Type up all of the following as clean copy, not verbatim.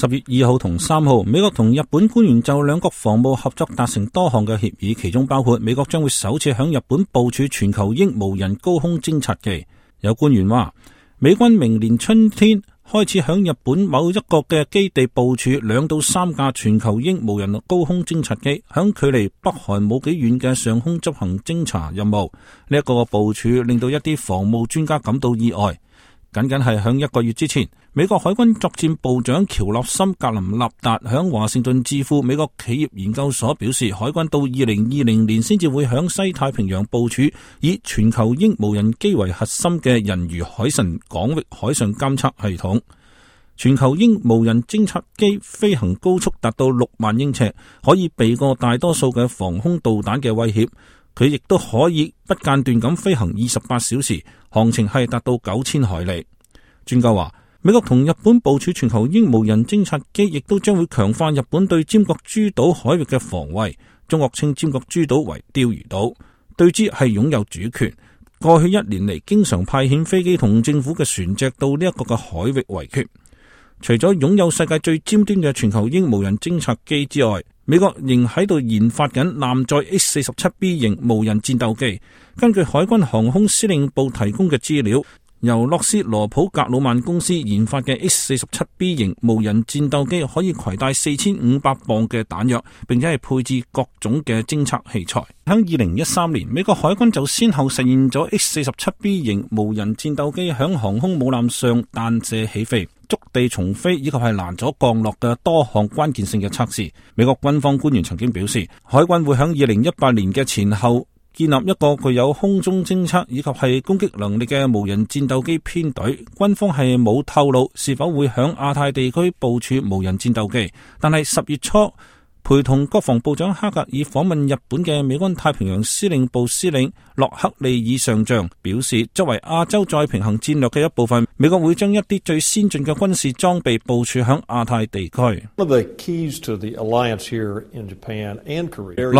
10月2號同3號，美國同日本官員就兩國防務合作達成多項嘅協議，其中包括美國將會首次響日本部署全球鷹無人高空偵察機。有官員話，美軍明年春天開始響日本某一個嘅基地部署2到3架全球鷹無人高空偵察機，響距離北韓冇幾遠嘅上空執行偵察任務。呢一個部署令到一啲防務專家感到意外。僅僅係響1個月之前，美國海軍作戰部長喬納森格林納達響華盛頓智庫美國企業研究所表示，海軍到2020年先至會響西太平洋部署以全球鷹無人機為核心嘅人魚海神廣域海上監測系統。全球鷹無人偵察機飛行高速達到6萬英尺，可以避過大多數嘅防空導彈嘅威脅。佢亦都可以不間斷咁飛行28小時，航程係達到9000海里。專家話，美國同日本部署全球鷹無人偵察機，亦都將會強化日本對尖閣諸島海域嘅防衛。中國稱尖閣諸島為釣魚島，對之係擁有主權。過去1年嚟，經常派遣飛機同政府嘅船隻到呢一個嘅海域圍決。除咗擁有世界最尖端嘅全球鷹無人偵察機之外，美國仍喺度研發緊艦載 H-47B 型無人戰鬥機。根據海軍航空司令部提供嘅資料，由洛斯羅普格魯曼公司研發嘅 H-47B 型無人戰鬥機可以攜帶4500磅嘅彈藥，並且係配置各種嘅偵測器材。喺2013年，美國海軍就先後實現咗 H-47B 型無人戰鬥機響航空母艦上彈射起飛、觸地重飛以及係攔阻降落嘅多項關鍵性嘅測試。美國軍方官員曾經表示，海軍會喺2018年嘅前後建立一個具有空中偵測以及係攻擊能力嘅無人戰鬥機編隊。軍方係冇透露是否會響亞太地區部署無人戰鬥機，但係10月初陪同國防部長哈格爾訪問日本嘅美軍太平洋司令部司令洛克利爾上將表示，作為亞洲再平衡戰略嘅一部分，美國會將一啲最先進嘅軍事裝備部署響亞太地區。洛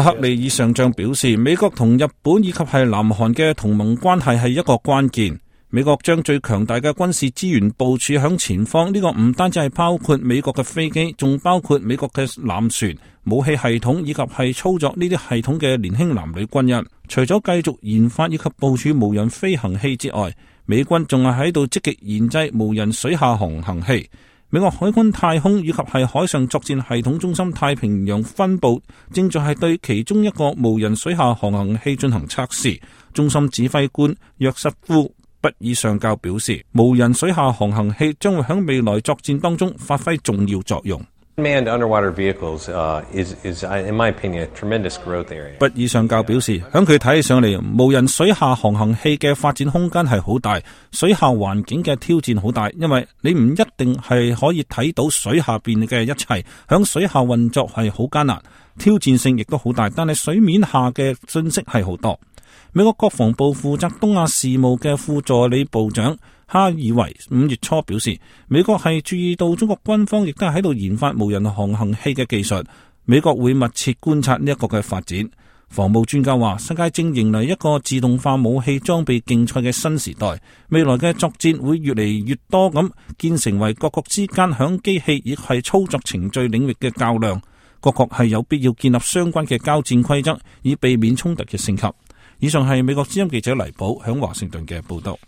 克利爾上將表示，美國同日本以及係南韓嘅同盟關係係一個關鍵。美國將最強大嘅軍事資源部署響前方，呢個唔單止係包括美國嘅飛機，仲包括美國嘅艦船、武器系統以及係操作呢啲系統嘅年輕男女軍人。除咗繼續研發以及部署無人飛行器之外，美軍仲係喺度積極研製無人水下航行器。美國海軍太空以及係海上作戰系統中心太平洋分部正在係對其中一個無人水下航行器進行測試。中心指揮官約瑟夫畢爾上校表示，無人水下航行器將會喺未來作戰當中發揮重要作用。Manned underwater vehicles is in my opinion a tremendous growth area. 畢爾上校表示，響佢睇起上嚟，無人水下航行器嘅發展空間係好大，水下環境嘅挑戰好大，因為你唔一定係可以睇到水下邊嘅一切，響水下運作係好艱難，挑戰性亦都好大，但係水面下嘅信息係好多。美國國防部負責東亞事務嘅副助理部長哈爾維5月初表示，美國係注意到中國軍方亦都係喺度研發無人航行器嘅技術，美國會密切觀察呢一個嘅發展。防務專家話，世界正迎來一個自動化武器裝備競賽嘅新時代，未來嘅作戰會越嚟越多咁建成為各國之間響機器亦係操作程序領域嘅較量，各國係有必要建立相關嘅交戰規則，以避免衝突嘅升級。以上係美國之音記者黎寶響華盛頓嘅報道。